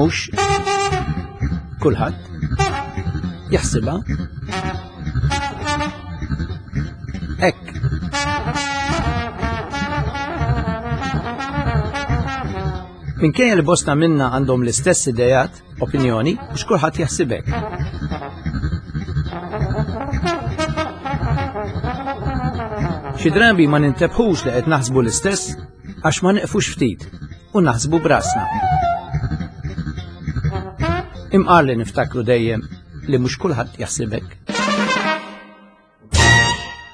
Mhux kulħadd jaħsibha hekk. Minkejja li bosta minna għandhom l-istess idejat, opinjoni, mhux kulħadd jaħsibek. Xi drabi ma nintebħux li qed naħsbu l-istess għax ma neqfux ftit u naħsbu brasna. Imqar li niftakru dejjem li mhux kulħadd jaħsibek.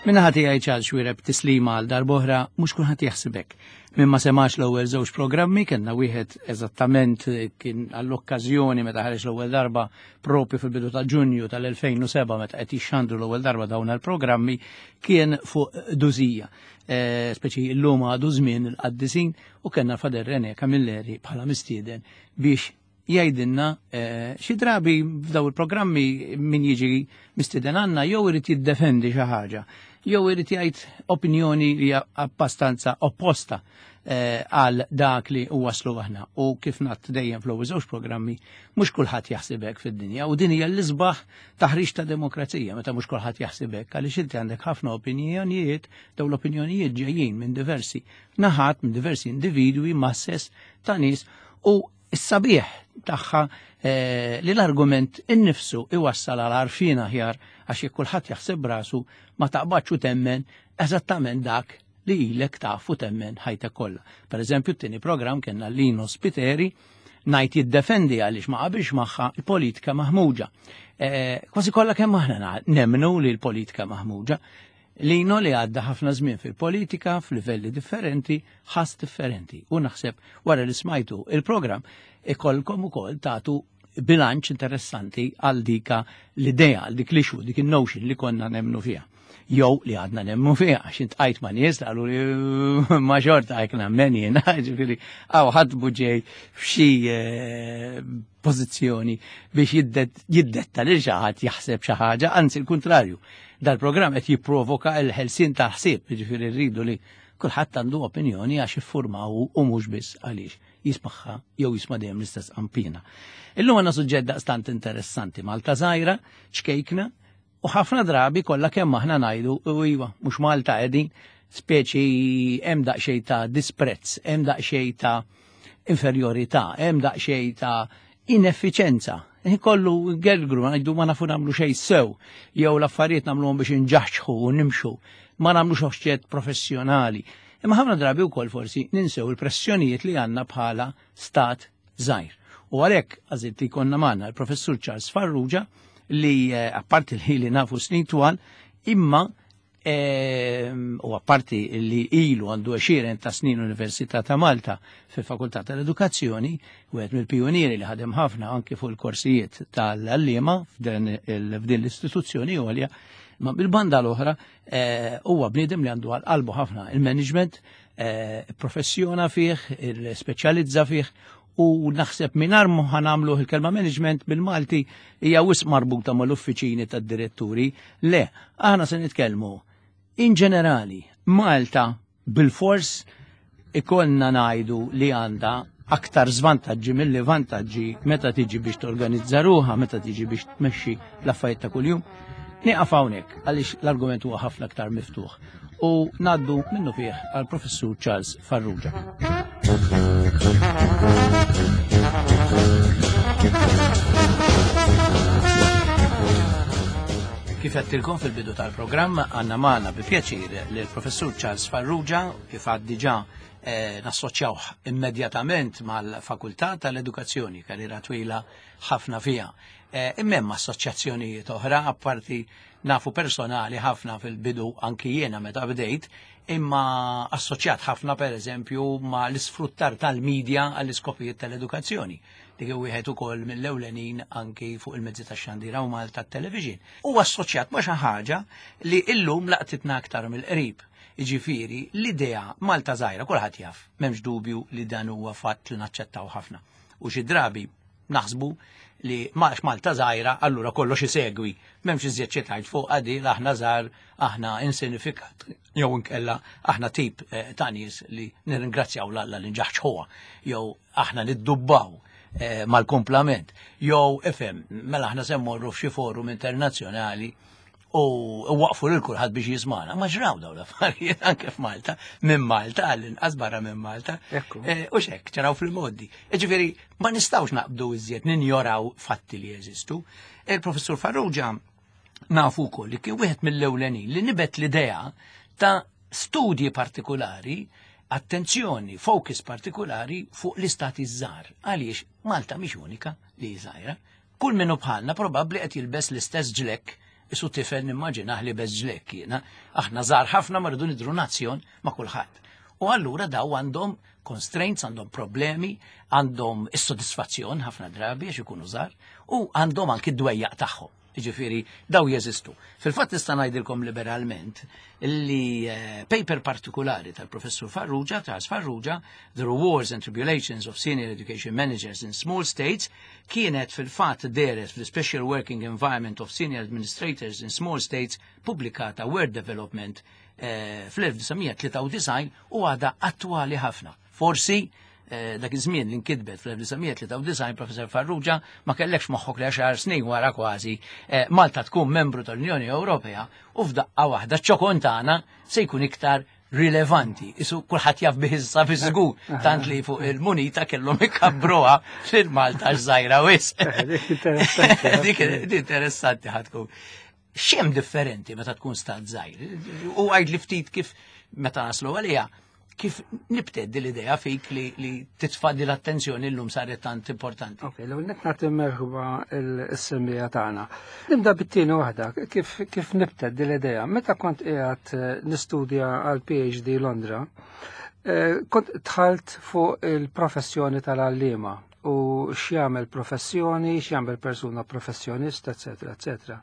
Minna ħati għaj ċal xwireb tislima għal darbohra mhux kulħadd jaħsibek. Min ma semax l-ewwel żewġ programmi kellna wieħed eżattament kien għall-okkażjoni meta ħareġ l-ewwel darba propju fil-bidu ta' Ġunju tal-2007 meta qed jixxandru l-ewwel darba dawn il-programmi kien fuq dużija. Eh, speċi llum għadu żmien il-qaddisin u kellna Fader Rene Camilleri bħala mistieden biex jgħidilna eh, xi drabi f'daw il-programmi min jiġi mistieden għandna jew irid jiddefendi xi ħaġa, jew irid jgħid opinjoni li hija abbastanza opposta eh, għal dak li waslu aħna. U kif nat dejjem fl-ewwel żewġ programmi, mhux kulħadd jaħseb hekk fid-dinja u din hija l-isbaħ taħriġ ta' demokrazija meta mhux kulħadd jaħseb hekk għaliex inti għandek ħafna opinjonijiet, dawn l-opinjonijiet ġejjin minn diversi naħat, minn diversi individwi, masses ta' nies u s-sabiħ tagħha eh, li l-argument innifsu iwassal għal għarfien aħjar għax jekk kulħadd jaħseb rasu ma taqbadx u temmen eżattament dak li ilek taf u temmen ħajtek kollha. Per eżempju, t-tieni programm kellna Lino Spiteri ngħid jiddefendi għaliex ma qabilx magħha il-politika maħmuġa. Eh, kważi kollha kemm aħna nemmnu li l-politika maħmuġa. Lino li għadda ħafna żmien fil-politika f'livelli differenti, ħass differenti. U naħseb wara li smajtu il-programm ikollkom ukoll tagħtu bilanċ interessanti għal dika l-idea, għal dik l-issue, dik il-notion li konna nemnu fiha. Jew li għadna nemnu fiha, għax intqajt ma' nies qalu li ma xorta hekk nemmen jiena, ġifieri hawn ħadd ġej f'xi eh, pożizzjoni biex jiddetta lil xi ħadd jaħseb xi ħaġa, anzi l-kuntrarju. Dal-programm qed jipprovoka l-ħelsien tal-ħsieb, jiġifieri rridu li kulħadd għandu opinjoni għax iffurmaw u mhux biss għaliex jismaħħa jew jisma' dejjem l-istess qampina. Illum għandna suġġett daqstant interessanti Malta żgħira, ċkejkna, U ħafna drabi kollha kemm aħna ngħidu u iva, mhux Malta qegħdin, speċi hemm daqsxejn ta' disprezz, hemm daqsxejn ta' inferjorità, hemm daqsxejn ta' ineffiċenza. Kollu gergru, ngħidu ma nafu nagħmlu xejn sew, jew l-affarijiet nagħmluhom biex inġaħġħu u nimxu, ma nagħmlux oċċett professjonali. Imma ħafna drabi wkoll forsi ninsew il-pressjonijiet li għandna bħala stat żgħir. U għalhekk għażilt li jkollna magħna l-Professur Charles Farrugia li eh, apparti li li nafu snin twal, imma eh, u apparti li ilu għandu 20 ta' snin Università ta' Malta fil-Fakultà tal-Edukazzjoni, wieħed mill-pionieri li ħadem ħafna anki fuq il-korsijiet tal-għalliema f'din l-istituzzjoni għolja, ma bil-banda l-oħra eh, huwa bniedem li għandu għal qalbu ħafna il-management, eh, professjona fih, il-speċjalizza fih u naħseb mingħajr ma ħanamlu il-kelma management bil-Malti hija wisq marbuta mal-uffiċini tad-diretturi. Le, aħna se nitkellmu in ġenerali Malta bil-fors ikollna ngħidu li għandha aktar żvantaġġi milli vantaġġi meta tiġi biex torganizza ruħha, meta tiġi biex tmexxi l-affarijiet ta' kuljum. Nieqaf hawnhekk għaliex l-argument huwa ħafna aktar miftuħ u ngħaddu minnu fih għal professur Charles Farrugia. Kif għedtilkom fil-bidu tal-programm għandna magħna bi pjaċir lill-professur Charles Farrugia kif għad diġà eh, nassoċjawh immedjatament mal-Fakultà tal-Edukazzjoni, karriera twila ħafna fiha. Eh, imma hemm assoċjazzjonijiet oħra apparti nafu personali ħafna fil-bidu anki jiena meta bdejt, imma assoċjat ħafna per eżempju ma l-isfruttar tal-medja għall-iskopijiet tal-edukazzjoni. Dik wieħed ukoll mill-ewlenin anki fuq il-mezzi tax-xandira u Malta television. U assoċjat ma' xi ħaġa li illum laqtitna aktar mill-qrib. Jiġifieri l-idea Malta żgħira kulħadd jaf, m'hemmx dubju li dan huwa fatt li naċċettaw ħafna. U xi drabi naħsbu li għax Malta żgħira allura kollox isegwi. M'hemmx iżjed xi tgħid fuq għadi aħna żgħar, aħna insinifikat jew inkella aħna tip eh, ta' nies li nirringrazzjaw l-Alla li nġaħġħuha jew aħna niddubbaw. Mal-kumplament. Jew ifhem, mela aħna se mmorru f'xi forum internazzjonali u waqfu lil kulħadd biex jismana. Ma ġraw dawn l-affarijiet anke f'Malta, minn Malta għall-inqas barra minn Malta. U xek, ġraw fil-modi. Ġifieri ma nistgħux naqbdu iżjed ninjoraw fatti li jeżistu. Il-Professur Farrugia nafu wkoll li kien wieħed mill-ewlenin li nibet l-idea ta' studji partikolari, attenzjoni, focus partikolari fuq l-istati żgħar. Għaliex Malta mhix unika li żgħira. Kull minnu bħalna probabbli qed jilbes l-istess ġlekk isu tifel nimmaġinah li bez ġlekk jiena. Aħna żgħar ħafna ma rridu nidru nazzjon ma' kulħadd. U allura daw għandhom constraints, għandhom problemi, għandhom is-sodisfazzjon ħafna drabi għax ikunu żgħar u għandhom anki d-dwejjaq tagħhom. Ġifieri, daw jeżistu. Fil-fatt nista' ngħidilkom liberalment li paper partikolari tal-Professur Farrugia, Charles Farrugia, The Rewards and Tribulations of Senior Education Managers in Small States, kienet fil-fatt dehret fl-Special Working Environment of Senior Administrators in Small States, pubblikata World Development fl-1993 u għada attwali ħafna. Forsi dak iż-żmien li nkitbet fl-1993 Professor Farrugia ma kellekx moħħok li 10 snin wara kważi Malta tkun membru tal-Unjoni Ewropea u f'daqqa waħda ċ-ċokon tagħna se jkun iktar rilevanti. Isu kulħadd jaf bih issa fi żgur, tant li fuq il-munita kellhom ikabbruha lil Malta żgħira wisq. Dik Dik interessanti ħa tkun. X'hemm differenti meta tkun stat żgħir? U għid li ftit kif meta naslu għaliha, kif nibted l-idea fik li titfa' l-attenzjoni llum saret tant importanti. Ok, l net nagħti merħba l-semmiegħa tagħna. Nibda bit-tieni waħda, kif nibted l-idea. Meta kont qiegħed nistudja għal PhD Londra, kont dħalt fuq il-professjoni tal-għalliema u x'jagħmel professjoni, x'jagħmel persuna professjonista, eccetera, eccetera.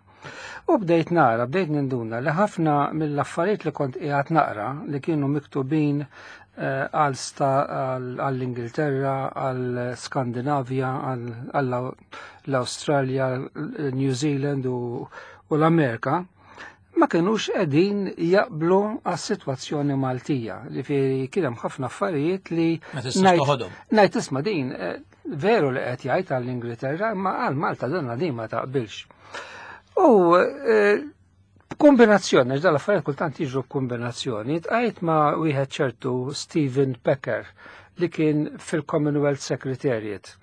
U bdejt nara, bdejt ninduna li ħafna mill-affarijiet li kont qiegħed naqra li kienu miktubin għall-Ingilterra, għall-Skandinavja, għall-Awstralja, New Zealand u l-Amerika, ma kienux qegħdin jaqblu għas-sitwazzjoni Maltija. Ġifieri kien hemm ħafna affarijiet li Ma tistax toħodhom. ngħid isma' din veru li qed jgħid għall-Ingilterra, imma għal Malta donna din ma taqbilx. U kombinazzjoni, għax dal-affarijiet kultant jiġru kombinazzjoni, tqajt ma' wieħed ċertu Stephen Pecker li kien fil-Commonwealth Secretariat.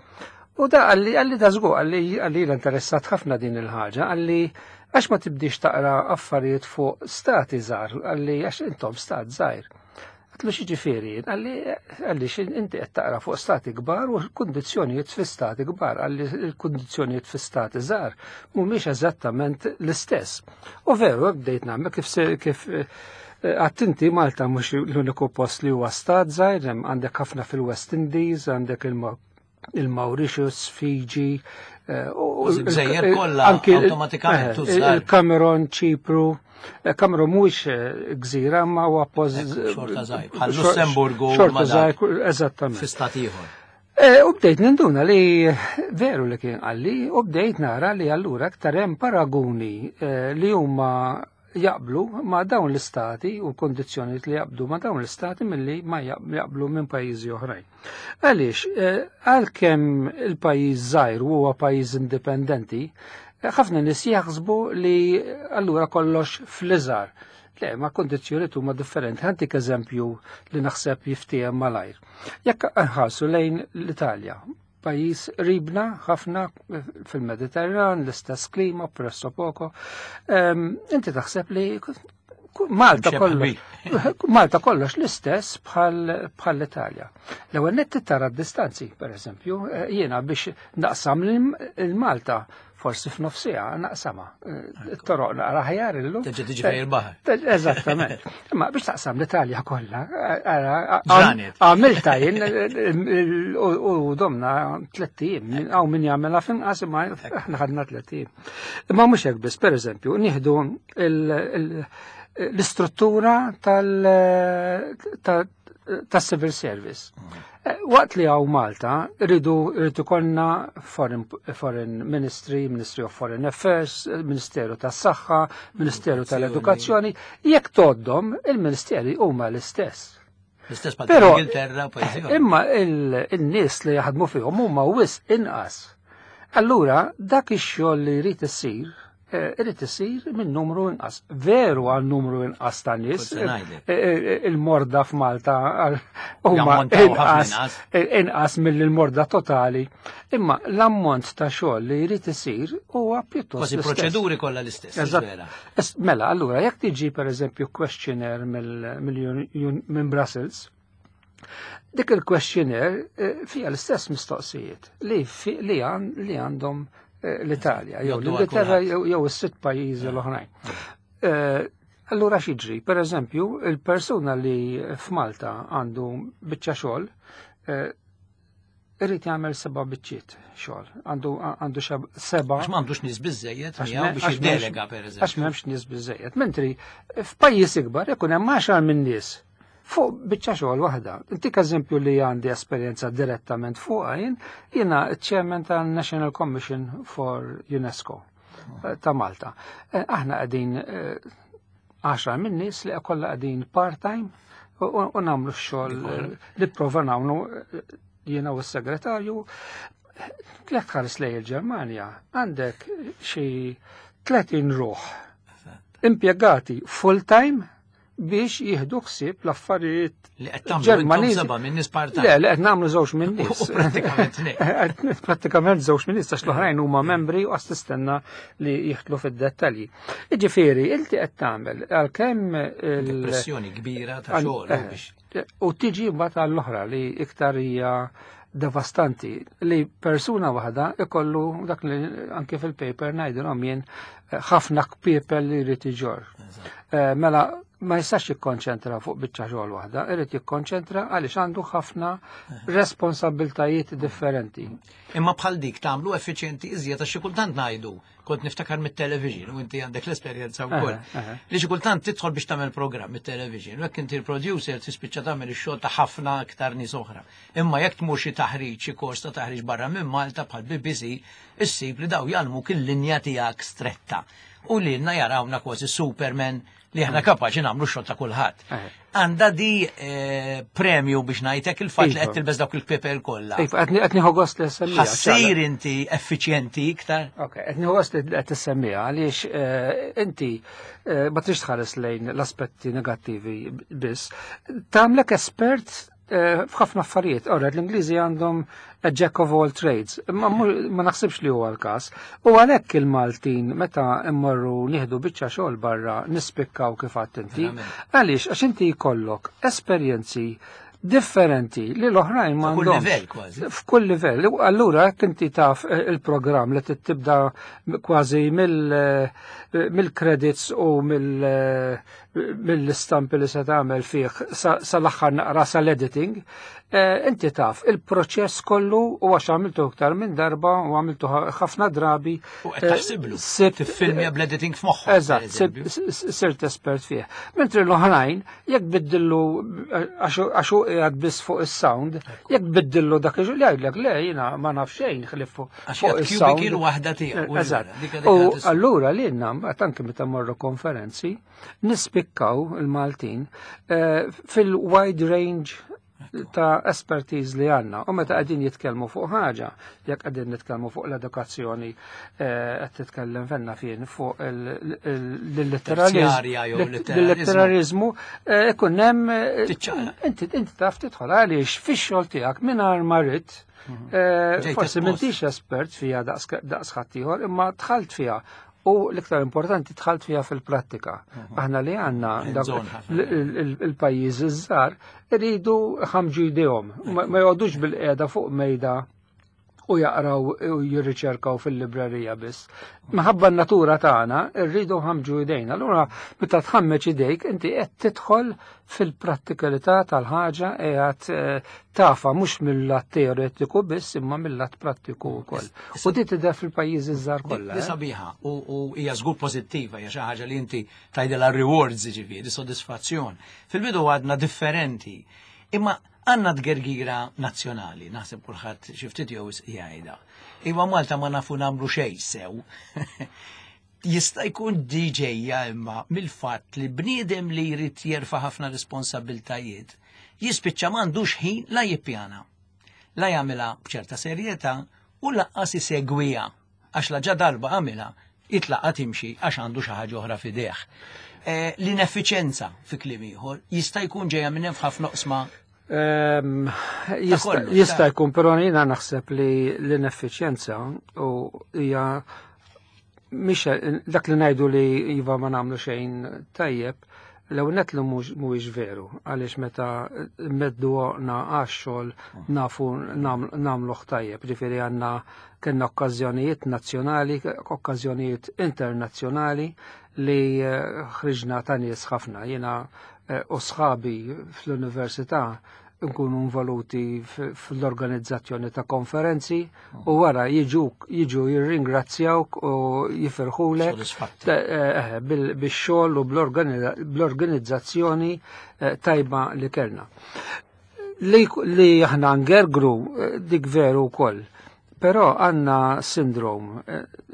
U da għalli da żgur, għalli l-interessat ħafna din il-ħaġa, għalli għax ma tibdix taqra affarijiet fuq stati żgħar, għalli għax intom stat żgħir. Għatlu x'jiġifieri, għalli inti qed taqra fuq stati kbar u kundizzjonijiet fi stati kbar, għalli l-kundizzjonijiet fi stati żgħar mhumiex eżattament l-istess. U veru, bdejt nagħmel kif għattinti Malta mhux l-uniku post li huwa stat żgħir, hemm għandek ħafna fil-West Indies, għandek il-Mauritius, Fiji, u Gżejjer kollha anki awtomatikament tużar. il-Cameron, Ċipru. Cameron mhuwiex gżira, ma huwa post Xorta żgħir, bħal Lussemburgu xorta ma dak żgħir, eżattament. Fi stat ieħor. U bdejt ninduna li veru li kien qalli, u bdejt nara li allura aktar hemm paraguni li huma jaqblu ma' dawn l-istati u kondizzjonijiet li jaqblu ma' dawn l-istati milli ma jaqblu minn pajjiżi oħrajn. Għaliex, għalkemm il-pajjiż żgħir u huwa pajjiż indipendenti, ħafna nies jaħsbu li allura kollox fl-iżgħar. Le, ma kondizzjonijiet huma differenti. Ħantik eżempju li naħseb jiftiehem malajr. Jekk nħarsu lejn l-Italja, pajjiż ribna ħafna fil-Mediterran, l-istess klima, presso poco. Inti taħseb li Mxie bħal Malta kollox l-istess bħal l-Italja. L-ewwel nett tara d-distanzi, per eżempju, jiena biex naqsam il-Malta forsi f'nofsija naqsama. It-toroq naqra ħjar illum. Terġa' tiġi fejn il-baħar. Eżattament. Imma biex taqsam l-Italja kollha, Ġranet. għamilta jien, u domna 3 ijiem, hawn min jagħmilha f'inqas, imma aħna ħadna 3 ijiem. Imma mhux hekk biss, pereżempju, nieħdu l-istruttura tas-civil service. Waqt li għaw Malta, rridu konna Foreign Ministry, Ministry of Foreign Affairs, Ministeru tas-Saħħa, Ministeru tal-Edukazzjoni, jekk toddom il-ministeri huma l-istess. L-istess bħal Ingilterra, pajjiżi oħra. Imma il-nies li jaħdmu fihom huma wisq inqas. Allura dak ix-xogħol li jrid isir irid isir minn numru inqas. Veru għal numru inqas ta' nies. Kont se ngħidlek. Il-morda f'Malta huma Jammontaw ħafna inqas inqas. inqas mill-morda totali. Imma l-ammont ta' xogħol li jrid isir huwa pjuttost Kważi l-istess. proċeduri kollha l-istess, Eżatt. vera. Mela, allura, jekk tiġi per eżempju questionnaire minn Brussels, dik il-questionnaire fija l-istess mistoqsijiet li għandhom l-Italja, jew Jgħoddu għal l-Ingilterra, kulħadd. jew is-sitt pajjiżi l-oħrajn. Allura x'jiġri? Per eżempju, il-persuna li f'Malta għandu biċċa xogħol irid jagħmel 7 biċċiet xogħol. Għandu 7. Għax m'għandux nies biżejjed Għax miegħu biex jiddelega, per eżempju. Għax m'hemmx nies biżejjed. Mentri f'pajjiż ikbar ikun hemm 10 minn nies fuq biċċa xogħol waħda. Intik eżempju li għandi esperjenza direttament fuqha jien, jiena ċ-chairman tan-National Commission for UNESCO ta' Malta. Aħna qegħdin 10 minn nies li kollha qegħdin part-time u nagħmlu x-xogħol li prova nagħmlu jiena u s-segretarju. Jekk tħares lejn il-Ġermanja, għandek xi 30 ruħ impjegati full-time biex jieħdu ħsieb l-affarijiet Li qed tagħmlu intom Ġermaniżi. 7 minn nies part-time. Le, li qed nagħmlu żewġ minn nies. U prattikament ne. Qed prattikament żewġ minn nies għax l-oħrajn huma membri u għas tistenna li jieħdlu fid-dettalji. Jiġifieri, inti qed tagħmel għalkemm il- Pressjoni kbira ta' għal- xogħol biex U tiġi mbagħad għall-oħra li iktar hija devastanti li persuna waħda ikollu dak li anke fil-paper ngħidilhom jien ħafna kpiepel li jrid iġorr. Mela ma jistax jikkonċentra fuq biċċa xogħol waħda, irid jikkonċentra għaliex għandu ħafna responsabiltajiet differenti. Imma bħal dik tagħmlu effiċjenti iżjed għax xi kultant ngħidu, kont niftakar mit-television u inti għandek l-esperjenza wkoll. Li xi kultant tidħol biex tagħmel programm mit-television u jekk inti l-producer tispiċċa tagħmel ix-xogħol ta' ħafna aktar nies oħra. Imma jekk tmur xi taħriġ, xi kors ta' taħriġ barra minn Malta bħal BBC, issib li daw jgħallmuk il-linja tiegħek stretta. U lilna jarawna kważi Superman li aħna kapaċi nagħmlu x-xogħol ta' kulħadd. Għandha di premju biex ngħidlek il-fatt li qed tilbes dawk il-pepel kollha. Iva, qed nieħu gost li semmija, Ħassir ċala. inti effiċjenti iktar? Ok, qed nieħu gost li qed tissemmija għaliex inti ma trix tħares lejn l-aspetti negattivi biss. Tagħmlek espert f'ħafna affarijiet. Ora, l-Ingliżi għandhom a jack of all trades, ma naħsibx li huwa l-każ. U għalhekk il-Maltin meta mmorru nieħdu biċċa xogħol barra nispikkaw kif għedt inti. Għaliex għax inti jkollok esperjenzi differenti li l-oħrajn ma F'kull għandhomx. livell kważi. F'kull livell. U allura jekk inti taf il-programm li tibda kważi mill-credits u mill-istampi li se tagħmel fih sal-aħħar naqra sal-editing, inti taf il-proċess kollu u għax għamiltu iktar minn darba u għamiltu ħafna drabi. U qed taħsiblu. Tiffilmja bl-editing f'moħħok, per Eżatt, eżempju. sirt espert fih. Mentri l-oħrajn, jekk biddillu, għax hu qiegħed biss fuq is-sound, jekk biddillu dak li jgħidlek le jiena ma naf xejn ħlief Għax fuq jgħid is-sound. cubicle waħda tiegħu, u Eżatt. dik dik U dik dik allura lilna mbagħad anke meta morru konferenzi, nispikkaw il-Maltin fil-wide range ta' expertise li għanna. U meta qegħdin jitkellmu fuq ħaġa, jekk qegħdin nitkellmu fuq l-edukazzjoni, qed titkellem fenna fien fuq Terzjarja jew l-litteralizmu, ikun hemm Tiċċaqlaq. inti taf tidħol għaliex fix-xogħol tiegħek mingħajr ma rrid, Ġejt forsi espost. m'intix espert fija daqs ħaddieħor, imma dħalt fija. U l-iktar importanti dħalt fija fil-prattika. Aħna li għandna Hands dak on ħafna. il-pajjiż iż-żgħar iridu ħamġu jdejhom, ma jgħodux bil-qiegħda fuq mejda u jaqraw u jirriċerkaw fil-librerija biss. Minħabba n-natura tagħna rridu ħamġu jdejna. Allura meta tħammeġ idejk inti qed tidħol fil-prattikalità tal-ħaġa qiegħed tafa mhux mill-lat teoretiku biss imma mill-lat prattiku wkoll. U di tidher fil-pajjiżi żgħar kollha, Di eh? sabiħa u hija żgur pożittiva, hija xi ħaġa li inti tgħidilha rewards, jiġifieri, sodisfazzjon. Fil-bidu għadna differenti, imma għandna tgergira nazzjonali, naħseb kulħadd xi ftit jew jgħidha. Iva Malta ma nafu nagħmlu xejn sew. Jista' jkun ġejja imma mill-fatt li bniedem li jrid jerfa' ħafna responsabiltajiet jispiċċa m'għandux ħin la jippjana, la jagħmilha b'ċerta serjetà u lanqas isegwiha għax la ġa darba għamilha jitlaqa timxi għax għandu xi ħaġa oħra f'idejh. L-ineffiċenza fi kliem ieħor jista' jkun ġejja minn hemm f'ħafna oqsma. Jista' jkun, però jiena naħseb li l-ineffiċjenza u hija mhix dak li ngħidu li iva ma nagħmlu xejn tajjeb, l-ewwel nett li mhuwiex veru, għaliex meta meddu għoqna għax-xogħol nafu nagħmluh tajjeb, ġifieri għandna kellna okkażjonijiet nazzjonali, okkażjonijiet internazzjonali li ħriġna ta' nies ħafna. Jiena u sħabi fl-università nkunu involuti fl-organizzazzjoni ta' konferenzi u wara jiġu jirringrazzjawk u jifirħulek bix-xogħol u bl-organizzazzjoni tajba li kellna. Li aħna ngergru dik veru wkoll. Però għandna sindrom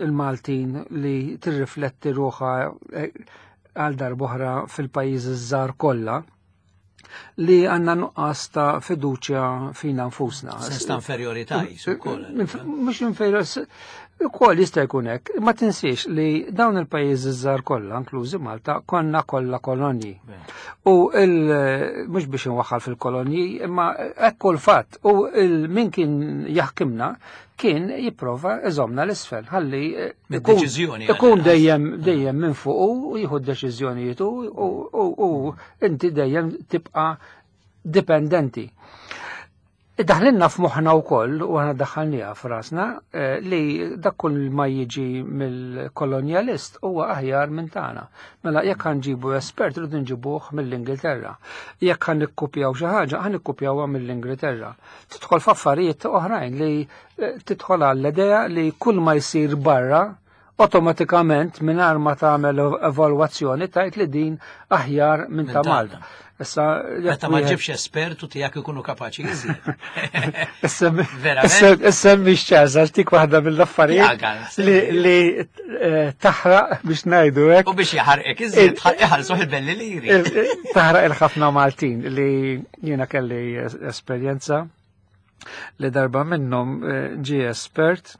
il-Maltin li tirrifletti ruħha għal darb'oħra fil-pajjiżi żgħar kollha, li għandna nuqqas ta' fiduċja fina nfusna. Sens ta' inferjorità jisu wkoll. Mhux inferjorità, ukoll jista' jkun hekk. Ma tinsiex li dawn il-pajjiżi żgħar kollha, inklużi Malta, konna kollha kolonji. U mhux biex inwaħħal fil-kolonji, imma hekk l-fatt. U min kien jaħkimna kien jipprova iżomna l-isfel, ħalli ikun dejjem minn fuq u jieħu d-deċiżjonijiet u inti dejjem tibqa' dipendenti. Daħlinna f'moħħna wkoll, u aħna daħħalniha f'rasna, li dak kull ma jiġi mill-kolonjalist huwa aħjar minn tagħna. Mela jekk ħanġibu espert rridu nġibuh mill-Ingilterra. Jekk ħan nikkupjaw xi ħaġa, ħan nikkupjawha mill-Ingilterra. Tidħol f'affarijiet oħrajn li tidħol għall-idea li kull ma jsir barra automatikament mingħajr ma tagħmel evalwazzjoni tajt li din aħjar minn ta' Malta. Issa, meta ma ġibx espertu tiegħek ikunu kapaċi iżjed. Issa mhix ċaża tik waħda mill-affarijiet li taħraq biex ngħidu hekk. U biex jaħarqek iżjed iħallsu il-belli liri. Taħraq il-ħafna Maltin li jiena kelli esperjenza li darba minnhom ġie espert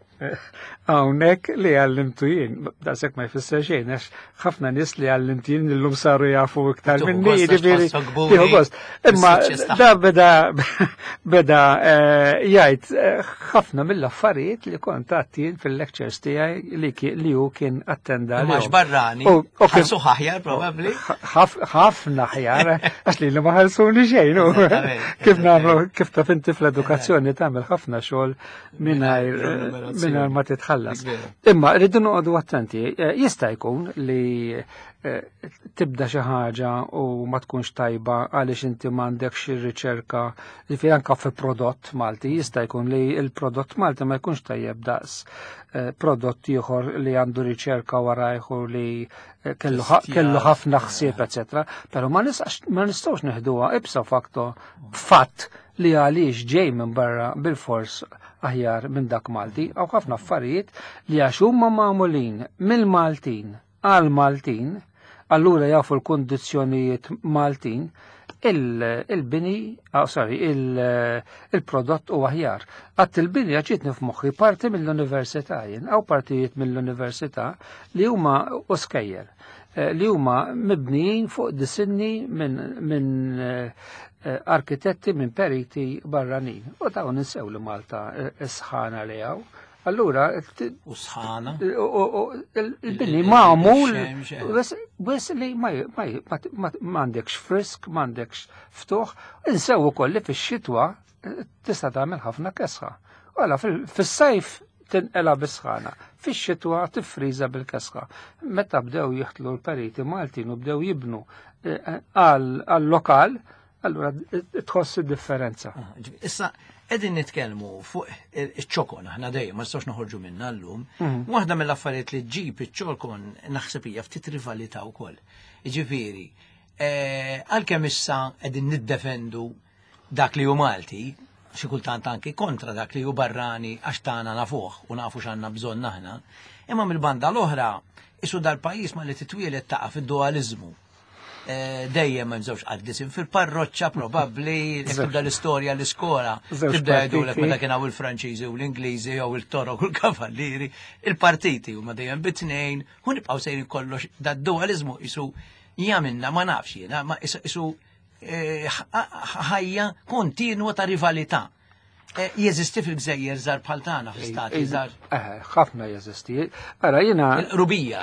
hawnhekk li għallimtu jien, daqshekk ma jfisser xejn, għax ħafna nies li għallimtu jien illum saru jafu iktar minni, jiġifieri tieħu gost. Imma da beda jgħid ħafna mill-affarijiet li kont għadt jien fil-lectures tiegħi li hu kien attenda. Imma barrani, ħalsu aħjar probabbli. Ħafna aħjar, għax li ma ħalsuni xejn. Kif nagħmlu, kif taf inti fl-edukazzjoni tagħmel ħafna xogħol mingħajr ma titħallas. Imma rridu noqogħdu attenti, jista' jkun li tibda xi ħaġa u ma tkunx tajba għaliex inti m'għandekx ir-riċerka li fi anka fi prodott Malti, jista' jkun li l-prodott Malti ma jkunx tajjeb daqs prodott ieħor li għandu riċerka warajh u li kellu ħafna ħsieb, eċetera. Però ma nistgħux neħduha ipso facto fatt li għaliex ġej minn barra bil-fors aħjar minn dak Malti, għaw ħafna affarijiet li għax huma magħmulin mill-Maltin għal Maltin, allura jafu l-kundizzjonijiet Maltin, il-bini, sorry, il-prodott u aħjar. Għadt il-bini ġietni f'moħħi parti mill-università jien, għaw partijiet mill-università li huma u skejjel, li huma mibnijin fuq disinni minn arkitetti, minn periti barranin. U dawn ninsew li Malta sħana li hawn. Allura, u sħana. Il-bini magħmul wis li m'għandekx frisk, m'għandekx ftuħ, insew ukoll li fix-xitwa tista' tagħmel ħafna kesħa. Wala fis-sajf tinqela bis-sħana, fix-xitwa tiffriża bil-kesħa. Meta bdew jiħtlu l-periti Maltin u bdew jibnu għal-lokal, allura tħoss id-differenza. Issa, qegħdin nitkellmu fuq iċ-ċokon, aħna dejjem ma nistgħux noħorġu minna llum. Waħda mill-affarijiet li ġġib iċ-ċokon naħseb hija ftit rivalità wkoll. Jiġifieri, għalkemm issa qegħdin niddefendu dak li hu Malti, xi kultant anki kontra dak li hu barrani għax tagħna nafuh u nafu x'għandna bżonn aħna, imma mill-banda l-oħra Isu dal-pajjiż ma li titwielet taqa' fid-dualizmu. Dejjem hemm żewġ qaddisin fil-parroċċa probabbli jekk tibda l-istorja l-iskola tibda jgħidulek meta kien hawn il-Franċiżi u l-Ingliżi jew il-Torok u l-Kavallieri, il-partiti huma dejjem bit-tnejn u nibqgħu sejrin kollox dad-dualizmu isu jagħmilna ma nafx jiena ma isu ħajja kontinwa ta' rivalità. Jeżisti fil-gżejjer żgħar bħal tagħna fl-istati żgħar. Ħafna jeżisti. Ara jiena Rubija.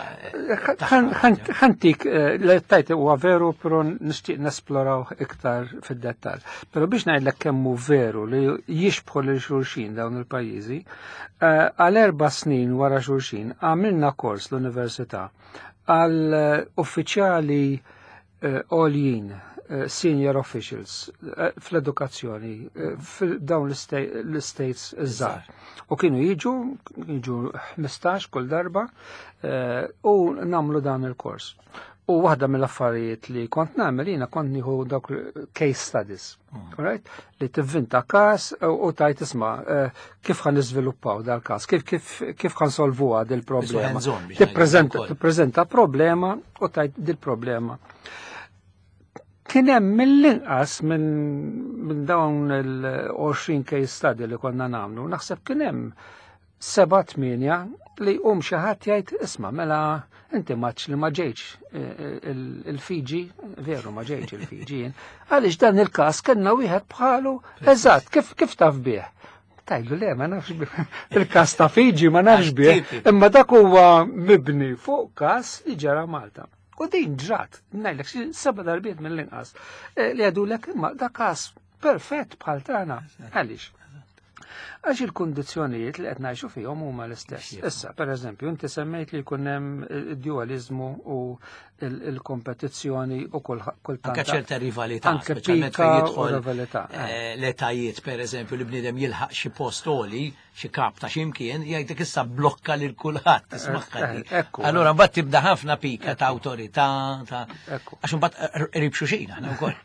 Ħantik li tajt huwa veru però nixtieq nesploraw iktar fid-dettall. Però biex ngħidlek kemm hu veru li jixbħu lil xulxin dawn il-pajjiżi, għal 4 snin wara xulxin għamilna kors l-università għal uffiċjali għoljin, senior officials fl-edukazzjoni f'dawn l-states iż-żgħar. U kienu jiġu 15 kull darba u nagħmlu dan il-kors. U waħda mill-affarijiet li kont nagħmel jiena kont nieħu dawk case studies, right? Li tivvinta każ u tajt isma' kif ħan niżviluppaw dal-każ, kif ħan solvuha dil-problema. Tippreżenta problema u tajt dil-problema. Kien hemm mill-inqas minn dawn il-20 case study li konna nagħmlu, naħseb kien hemm 7-8 li jqum xi ħadd jgħid isma' mela inti maċ li ma ġejtx il-Fiji, veru ma ġejtx il-Fiji jien, għaliex dan il-każ kellna wieħed bħalu eżatt, kif taf bih? Tajlu le, ma nafx bih. Il-każ ta' Fiji ma nafx bih, imma dak huwa mibni fuq każ li ġara Malta. U din ġrat, ngħidlek xi 7 darbiet mill-inqas, li għadulek imma da każ perfett bħal tagħna. Għaliex? Għax il-kundizzjonijiet li qed ngħixu fihom huma l-istess. Issa, pereżempju, inti semmejt li jkun hemm id-dualizmu u il-kompetizzjoni u kultant. Anke ċerta rivalità, Anke speċjalment pika fejn u jidħol, rivalità, l-etajiet, pereżempju, li bniedem jilħaq xi post għoli, xi kap ta' x'imkien, jgħidlek issa blokka lil kulħadd, tisma' ħalli. Allura mbagħad tibda ħafna pika ta' awtorità, ta' għax imbagħad qrib xulxin aħna wkoll.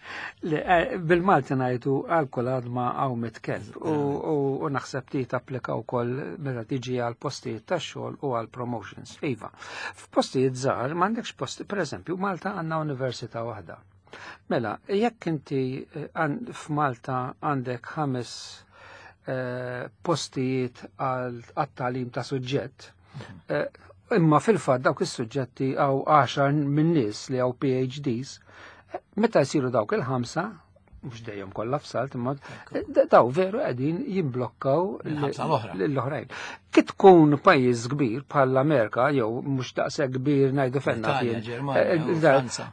Le, bil-Malti ngħidu għal kull għadma hawn mitkellb u naħseb li tapplika wkoll meta tiġi għal postijiet tax-xogħol u għal promotions. Iva, f'postijiet żgħar m'għandekx posti, pereżempju Malta għandna università waħda. Mela, jekk inti f'Malta għandek 5 postijiet għat-tagħlim ta' suġġett, imma fil-fatt dawk is-suġġetti għaw 10 minn nies li għaw P H Ds, meta jsiru dawk il-5, mhux dejjem kollha f'salt, imma daw veru qegħdin jimblokkaw Il-ħamsa l-oħra. l-oħrajn. Kif tkun pajjiż kbir bħall-Amerika jew mhux daqshekk kbir ngħidu fenna Italja, kien, Ġermanja, u Franza.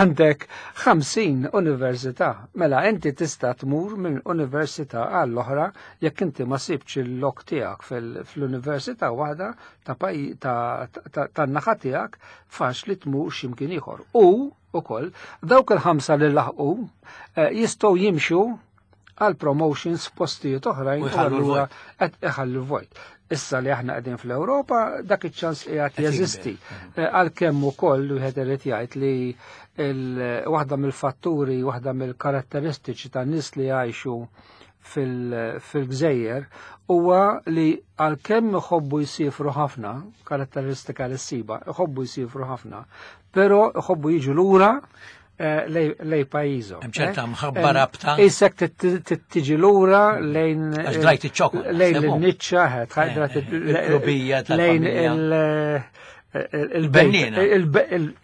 għandek 50 università. Mela inti tista' tmur minn università għall-oħra jekk inti ma sibx il-lok tiegħek fl-università waħda tan-naħa tiegħek faċli tmur x'imkien ieħor. U ukoll dawk il-5 li laħqu jistgħu jimxu għal promotions f'postijiet oħrajn U u jħallu allura l-vojt. qed iħallu vojt. Issa li aħna qegħdin fl-Ewropa dak iċ-ċans qiegħed Qed jikber. jeżisti. Għalkemm ukoll wieħed irid jgħid li waħda mill-fatturi, waħda mill-karatteristiċi tan-nies li jgħixu fil-gżejjer huwa li għalkemm iħobbu jsifru ħafna, karatteristika li ssiba, iħobbu jsifru ħafna, però iħobbu jiġu lura lej pajjiżhom. Hemm ċerta mħabba rabta. Isek tiġi lura lejn Għax drajt iċ-ċokon, lejn naħseb hu. il-niċċa, drajt Il-klubija lejn tal-familja. il-bejta. Bennina.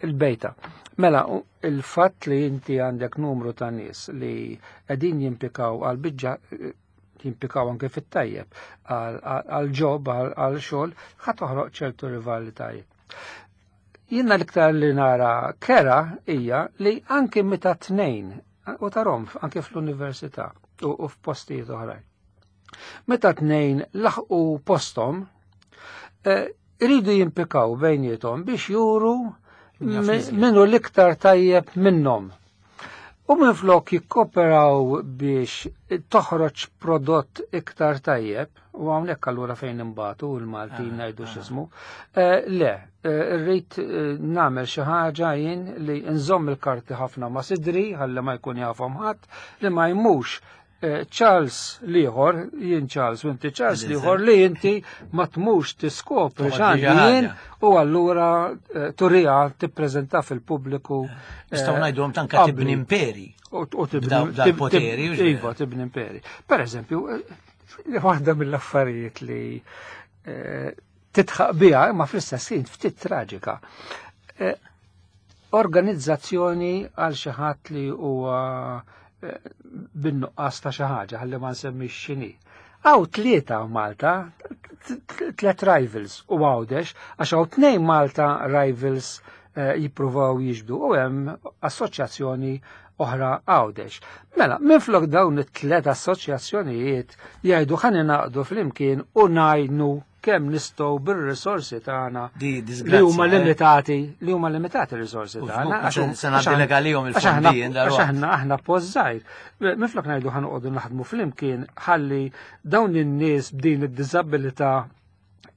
Il-bejta. Mela, il-fatt li inti għandek numru ta' nies li qegħdin jimpikaw għal biġġa, jimpikaw anke fit-tajjeb, għal ġob, għal xogħol, ħa toħroq ċertu rivalitajiet. Jiena l-iktar li nara kera hija li anke meta tnejn, u tarom anke fl-università u f'postijiet oħrajn. Meta tnejn laħqu postom, iridu jimpikaw bejniethom biex juru Min jaf iżjed. minnu l-iktar tajjeb minnhom. U minflok jikkoperaw biex toħroġ prodott iktar tajjeb, u hawnhekk allura fejn imbagħtu l-Maltin ngħidu x'ismu, le, rrid nagħmel xi ħaġa jien li nżomm il-karti ħafna ma' sidri, ħalli ma jkun jafhom ħadd, li ma jmux Charles l-ieħor, jien Charles u inti Charles l-ieħor li inti ma tmux tiskopri x'għandi jien u allura turija tippreżenta fil-pubbliku. Nistgħu ngħidulhom tanka tibni imperi. U tibni poteri. Iva, tibni imperi. Per eżempju, waħda mill-affarijiet li titħaq biha imma fl-istess ħin ftit traġika. Organizzazzjoni għal xi ħadd li huwa bin-nuqqas ta' xi ħaġa ħalli ma nsemmix x'inhi. Hawn tlieta Malta, tliet rivals u Għawdex, għax hawn tnejn Malta rivals jippruvaw jiġbdu u hemm assoċjazzjoni oħra Għawdex. Mela, minflok dawn it-tliet assoċjazzjonijiet jgħidu ħa ningħaqdu flimkien u ngħinu kemm nistgħu bir-risorsi tagħna li huma limitati, li huma limitati r-risorsi tagħna. Se ngħaddi għalihom il-fondi. Għax aħna post żgħir. Minflok ngħidu ħa noqogħdu naħdmu flimkien ħalli dawn in-nies b'din id-diżabilità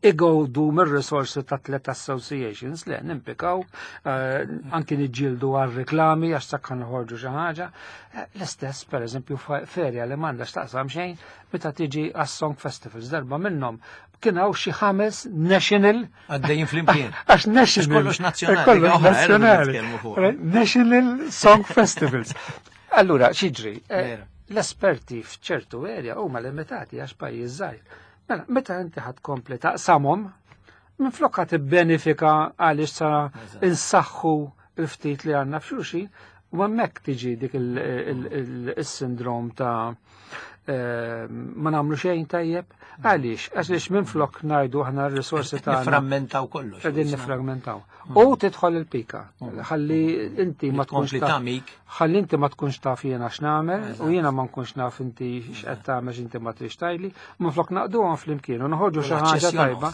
igawdu mir-risorsi ta' tliet associations, le nimpikaw, anki niġġieldu għal reklami għax sakka noħorġu xi ħaġa. L-istess, per eżempju, ferja li m'għandha x'taqsam xejn meta tiġi għas-Song Festivals, darba minnhom kien hawn xi 5 national għaddejjin flimkien. Għax national. Kollox nazzjonali. Kollox nazzjonali. National Song Festivals. Allura, x'jiġri? L-esperti f'ċertu area huma limitati għax pajjiż żgħir. Mela, meta inti ħadd kompli taqsamhom, minflok ħadd ibbenefika għaliex sa insaħħu l-ftit li għandna f'xulxin, u hemmhekk tiġi dik il-sindrom ta' ma nagħmlu xejn tajjeb. Għaliex? Għaliex minflok ngħidu aħna r-risorsi tagħna. Niframmentaw kollox. Qegħdin nifragmentaw. U tidħol il-pika. Ħalli inti ma tkunx taf. Ħalli inti ma tkunx taf jiena x'nagħmel u jiena ma nkunx naf inti x'qed tagħmel x'inti ma trix tgħidli. Minflok naqduhom flimkien u noħorġu xi ħaġa tajba.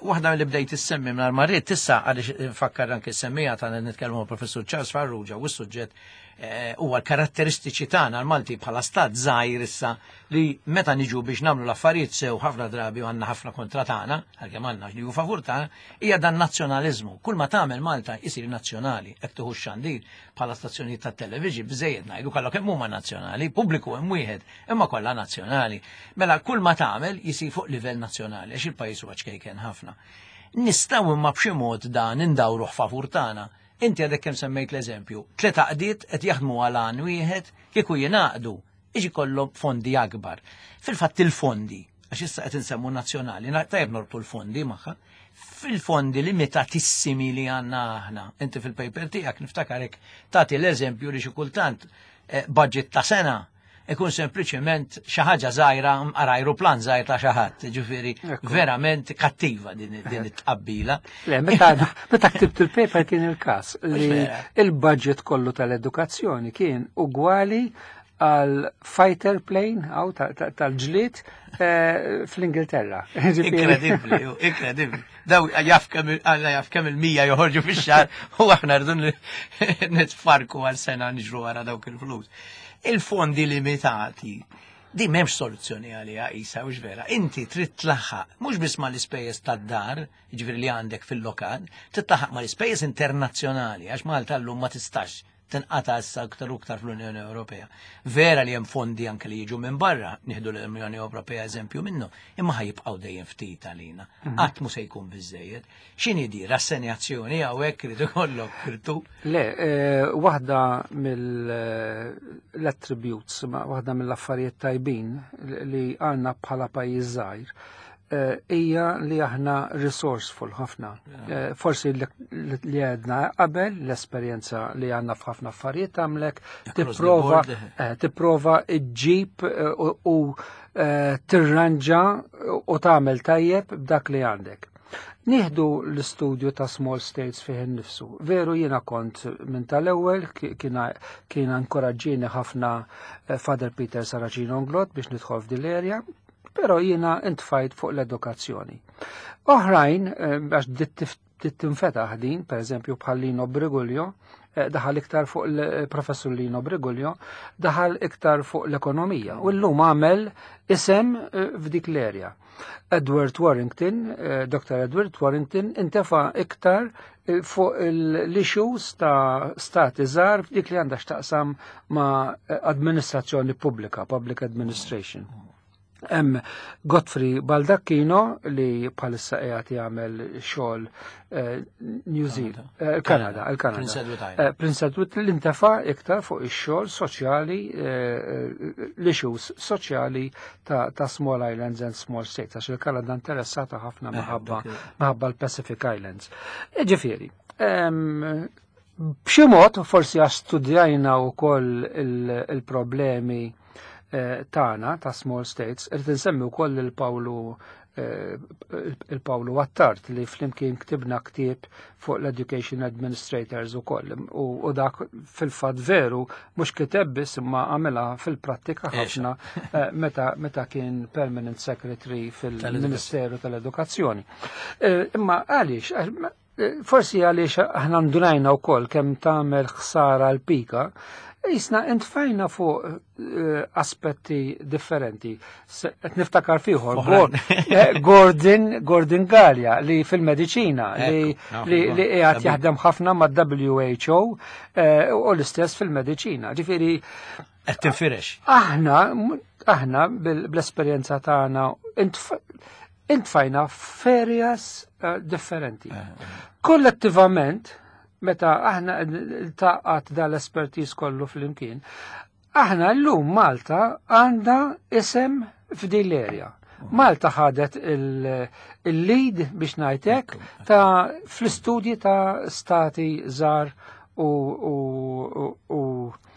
Waħda li bdejt issemmi mingħajr ma rrid issa għaliex nfakkar anke semmija ta' nitkellmu Professur Charles Farrugia u s-suġġett huwa l-karatteristiċi tagħna l-Malti bħala stat żgħir issa li meta niġu biex nagħmlu l-affarijiet sew ħafna drabi u għandna ħafna kontra tagħna, għalkemm għandna li hu favur tagħna, hija dan nazzjonaliżmu. Kull ma tagħmel Malta isir nazzjonali, hekk tieħu x-xandir bħala stazzjonijiet tat-television biżejjed ngħidu kollha kemm huma nazzjonali, pubbliku hemm wieħed, imma kollha nazzjonali. Mela kull ma tagħmel jisir fuq livell nazzjonali għax il-pajjiż huwa ċkejken ħafna. Nistgħu imma b'xi mod dan indawruh favur tagħna. Inti għadek kemm semmejt l-eżempju, tliet għaqdiet qed jaħdmu għal għan wieħed kieku jingħaqdu, iġi kollhom fondi akbar. Fil-fatt il-fondi, għax issa qed insemmu nazzjonali, tajjeb norbtu l-fondi magħha, fil-fondi limitatissimi li għandna aħna. Inti fil-paper tiegħek niftakarek tagħti l-eżempju li xi kultant budget ta' sena ikun sempliċement xi ħaġa żgħira mqar ajruplan żgħir ta' xi ħadd, ġifieri verament kattiva din it-tqabbila. Le, meta ktibt il-paper kien il-każ li il-budget kollu tal-edukazzjoni kien ugwali għal fighter plane għaw tal-ġlied fl-Ingilterra. Inkredibbli, inkredibbli. Daw jaf kemm Alla jaf kemm il-100 joħorġu fix-xahar u aħna rridu nitfarku għal sena niġru wara dawk il-flus. Il-fondi limitati, di m'hemmx soluzzjoni għaliha isa, hux vera. Inti trid tlaħħaq mhux biss mal-ispejjeż tad-dar, jiġifieri li għandek fil-lokal, trid tlaħħaq mal-ispejjeż internazzjonali, għax Malta llum ma tistax tinqata' issa aktar u aktar fl-Unjoni Ewropea. Vera li hemm fondi anke li jiġu minn barra, nieħdu l-Unjoni Ewropea eżempju minnu, imma ħajibqgħu dejjem ftit għalina. Qatt mhu se jkun biżejjed. X'inhi di rassenjazzjoni hawnhekk irid ikollok kirtu? Le, waħda mill-attributes, waħda mill-affarijiet tajbin li għandna bħala pajjiż żgħir, hija li aħna resourceful ħafna. Forsi li għedna qabel l-esperjenza li għandna f'ħafna affarijiet tagħmlek Across the board. tipprova ġġib u tirranġa u tagħmel tajjeb b'dak li għandek. Nieħdu l-istudju ta' small states fih innifsu. Veru jiena kont minn tal-ewwel, kien inkoraġġini ħafna Father Peter Saracino Englott biex nidħol f'din l-area, però jiena intfajt fuq l-edukazzjoni. Oħrajn, għax bdiet bdiet tinfetaħ din, pereżempju bħal Lino Briguglio, daħal iktar fuq il-professur Lino Briguglio, daħal iktar fuq l-ekonomija u llum għamel isem f'dik l-erja. Edward Warrington, Dr. Edward Warrington, intefa iktar fuq l-issues ta' stati żgħar f'dik li għandha x'taqsam ma' amministrazzjoni pubblika, public administration. Hemm Godfrey Baldacchino li bħalissa qiegħed jagħmel xogħol New Zealand, Kanada, il-Kanada. Prince Edward Island. Prince Edward li intefa' iktar fuq ix-xogħol soċjali, l-issues soċjali ta' small islands and small states, għax il-Kanada interessata ħafna minħabba l-Pacific Islands. Ġifieri, b'xi mod forsi għax studjajna wkoll il-problemi tagħna ta' small states, irid insemmi wkoll il-Pawlu Attard li flimkien ktibna ktieb fuq l-Education Administrators ukoll. U dak fil-fatt veru mhux kiteb biss imma għamilha fil-prattika ħafna meta kien Permanent Secretary fil-Ministeru tal-Edukazzjoni. Imma għaliex? Forsi għaliex aħna ndunajna wkoll kemm tagħmel ħsara l-pika, jisna intfajna fuq aspetti differenti. Qed niftakar fiħor, Gordon Galea li fil-mediċina li qiegħed jaħdem ħafna ma' WHO u l-istess fil-mediċina. Ġifieri qed tinfirex. Aħna bl-esperjenza tagħna intfajna f'areas differenti. Kollettivament, meta aħna taqgħat dal-espertiż kollu flimkien, aħna llum Malta għandha isem f'din l-area. Malta ħadet il-lead biex ngħidlek ta' fl-istudji ta' stati żgħar U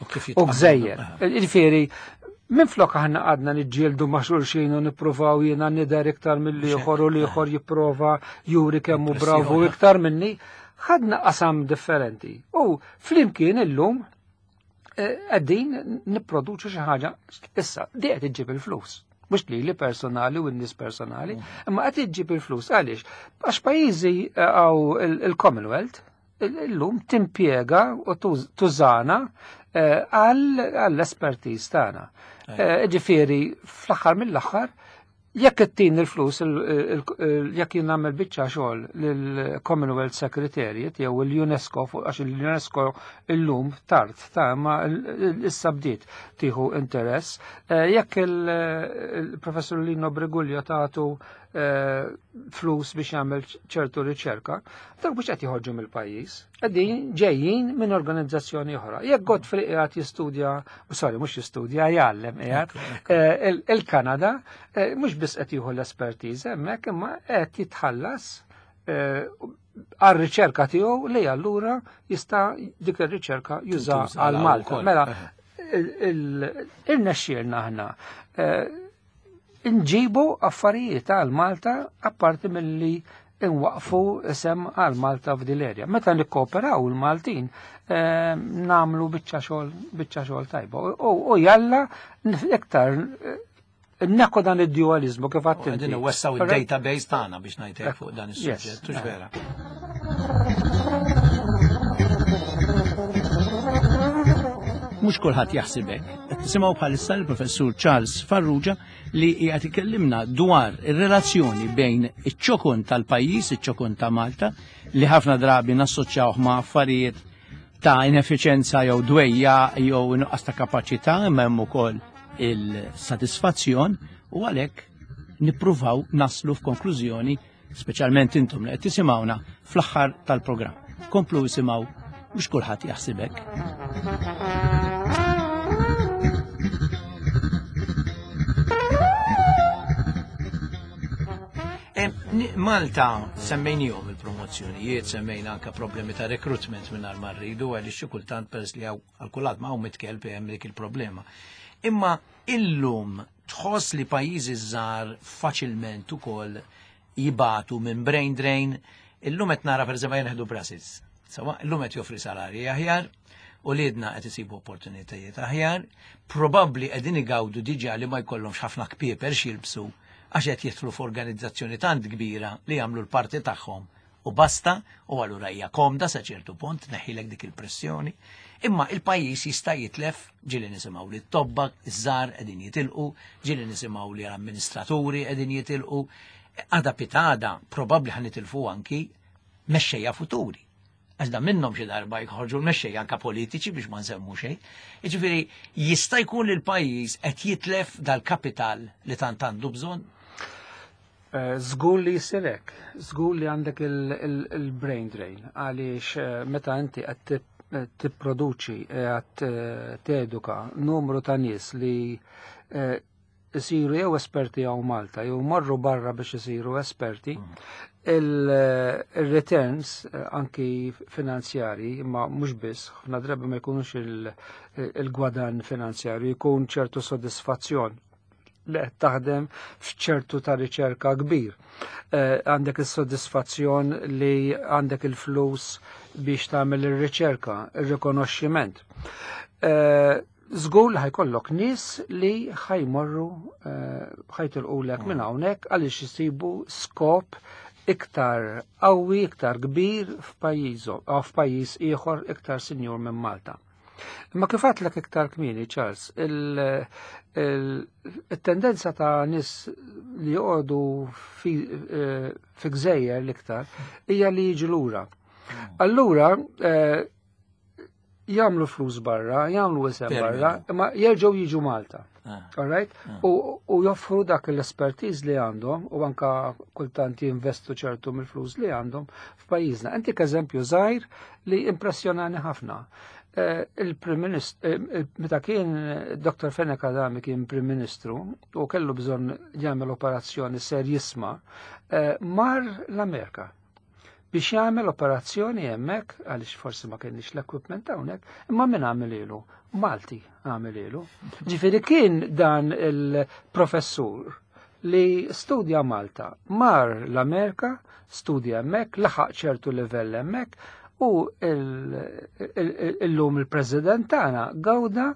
kif u jitqablu. gżejjer. Ġifieri, minn flok aħna għadna niġġieldu ma' xulxin u nippruvaw jiena nidher iktar mill-ieħor u l-ieħor jipprova juri kemm hu bravu iktar minni, ħadna qasam differenti. U flimkien illum qegħdin nipproduċu xi ħaġa issa di qed iġġib il-flus. Mhux li li personali u n-nies personali, imma qed iġġib il-flus. Għaliex? Għax pajjiżi għaw il-Commonwealth illum timpjega u tużana għall-espertiż tagħna. Ġifieri, fl-aħħar mill-aħħar, jekk ittin il-flus, jekk jien nagħmel biċċa xogħol lill-Commonwealth Secretariat jew il-UNESCO, għax il-UNESCO illum tard ta' ma issa bdiet tieħu interess, jekk il-professur Lino Briguglio tagħtu flus biex jagħmel ċertu riċerka, dak mhux qed joħorġu mill-pajjiż, qegħdin ġejjin minn organizzazzjoni oħra. Jekk Godfrey qiegħed jistudja, sorry, mhux jistudja, jgħallem qiegħed, il-Kanada, mhux biss qed jieħu l-espertiż hemmhekk, imma qed jitħallas għar-riċerka tiegħu li allura jista' dik ir-riċerka juża Tintuża għal għal Malta. ukoll. Mela, irnexxielna aħna nġibu affarijiet għal Malta apparti milli nwaqfu isem għal Malta f'dil area. Meta nikkooperaw il-Maltin namlu biċċa xogħol tajba. U jalla iktar nekku dan id-dualizmu kif għadt U qegħdin inti. iwessaw Correct? id-database tagħna biex ngħidlek fuq dan is-suġġett, hux vera? Mhux kulħadd jaħsibek. Qed tisimgħu bħalissa l-Professur Charles Farrugia li qiegħed ikellimna dwar ir-relazzjoni bejn iċ-ċokon tal-pajjiż, iċ-ċokon ta' Malta, li ħafna drabi nassoċjawh ma' affarijiet ta' ineffiċenza jew dwejja jew nuqqas ta' kapaċità, imma hemm ukoll il-satisfazzjon, u għalhekk nippruvaw naslu f'konklużjoni, speċjalment intom li qed tisimgħuna fl-aħħar tal-programm. Komplu isimgħu, mhux kulħadd jaħsibek. Malta semmejnihom il-promozzjonijiet, semmejna anka problemi ta' recruitment minn ma rridu, għaliex xi kultant peress li hawn għal kulħadd ma hawn mitkelb hemm dik il-problema. Imma illum tħoss li pajjiżi żgħar faċilment ukoll jibatu minn brain drain. Illum qed nara pereżempju jien ħedu Brussels. Sawa, illum qed joffri salarji aħjar, u liedna qed isibu opportunitajiet aħjar, probabbli qegħdin igawdu diġà li ma jkollhomx ħafna kpieper x'jilbsu għax qed jidħlu f'organizzazzjoni tant kbira li jagħmlu l-parti tagħhom u basta, u allura hija komda sa ċertu punt neħilek dik il-pressjoni. Imma il-pajjiż jista' jitlef, ġieli nisimgħu li t-tobba iż-żgħar qegħdin jitilqu, ġieli nisimgħu li l-amministraturi qegħdin jitilqu. Għada pitada probabbli ħa nitilfu anki mexxejja futuri. Għax da minnhom xi darba jħorġu l-mexxejja anka politiċi biex ma nsemmu xejn. Jiġifieri jista' jkun li l-pajjiż qed jitlef dal-kapital li tant għandu bżonn? Żgur li jsir hekk, żgur li għandek il-brain drain għaliex meta inti qed tipproduċi qed teduka numru ta' nies li isiru jew esperti hawn Malta jew marru barra biex isiru esperti, il-returns anki finanzjari, imma mhux biss, ħafna drabi ma jkunux il-gwadan finanzjarju, jkun ċertu sodisfazzjon li qed taħdem f'ċertu ta' riċerka kbir. Għandek is-sodisfazzjon li għandek il-flus biex tagħmel ir-riċerka, ir-rikonoxximent. Żgur li ħajkollok nies li ħajmorru ħajtilqulek minn hawnhekk għaliex isibu skop iktar qawwi, iktar kbir f'pajjiżhom, f'pajjiż ieħor iktar sinjur minn Malta. Imma kif għedtlek iktar kmieni, Charles, il-tendenza ta' nies li joqogħdu fi gżejjer l-iktar hija li jiġu lura. Allura jagħmlu flus barra, jagħmlu isem barra, imma jerġgħu jiġu Malta. All right? U joffru dak l-expertise li għandhom u anka kultant jinvestu ċertu mill-flus li għandhom f'pajjiżna. Intik eżempju żgħir li impressjonani ħafna. Il-Prim Ministru, meta kien Dr. Fenech Adami kien Prim Ministru u kellu bżonn jagħmel operazzjoni ser jisma, mar l-Amerika biex jagħmel operazzjoni hemmhekk għaliex forsi ma kienx l-equipment hawnhekk, imma min għamililu? Malti għamililu. Ġifieri kien dan il-professur li studja Malta, mar l-Amerika, studja hemmhekk, laħaq ċertu livell hemmhekk, u illum il-President tagħna gawda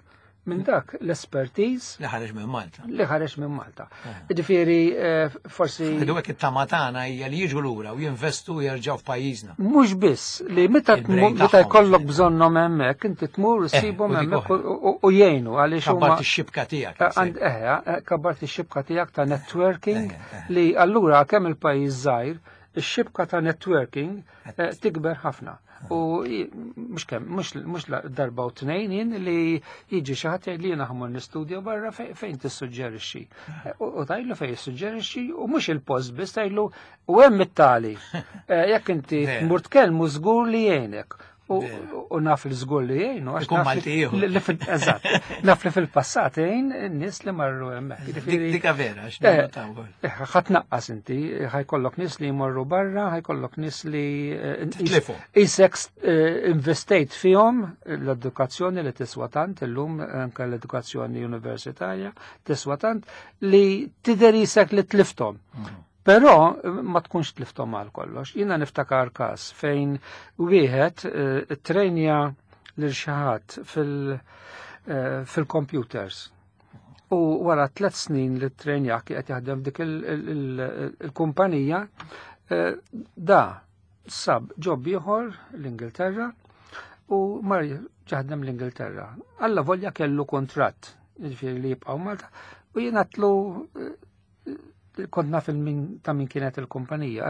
minn dak l-expertise li ħareġ minn Malta. Li ħareġ minn Malta. Ġifieri forsi Idu hekk it-tama tagħna hija li jiġu lura u jinvestu u jerġgħu f'pajjiżna. Mhux biss li meta Il-brain meta tagħhom. jkollok bżonnhom hemmhekk inti tmur issibhom u dik hemmhekk oħra. u jgħinu għaliex huma Kabbart ix-xibka tiegħek. Kabbart ix-xibka tiegħek ta' networking li allura kemm il-pajjiż żgħir, ix-xibka ta' networking tikber ħafna. U mhux kemm, mhux darba u tnejn jien li jiġi xi ħadd jgħid li jiena ħammur nistudja barra fejn tissuġġerixxi. U tgħidlu fejn jissuġġerixxi u mhux il-post biss tgħidlu u hemm it-tali. Jekk inti tmur tkellmu żgur li jgħinek. U naf li żgur li jgħinu, għax Ikun naf li Malti ieħor. li eżatt. Naf li fil-passat jgħin n-nies li marru hemmhekk. Jiġifieri Dika vera, għax nagħmlu wkoll. Ħadd naqqas inti, ħajkollok nies li jmorru barra, ħajkollok nies li Titlifu. isek investejt fihom l-edukazzjoni li tiswa tant illum anke l-edukazzjoni universitarja tiswa tant li tidher isek li tlifthom. Però ma tkunx tlifthom għal kollox. Jiena niftakar każ fejn wieħed trenja lil xi ħadd fil-computers. U wara 3 snin li trenja qed jaħdem f'dik il-kumpanija, da sab job ieħor l-Ingilterra u mar jaħdem l-Ingilterra. Alla volja kellu kontratt, jiġifieri li jibqgħu Malta, u jien għatlu kont naf ta' min kienet il-kumpanija,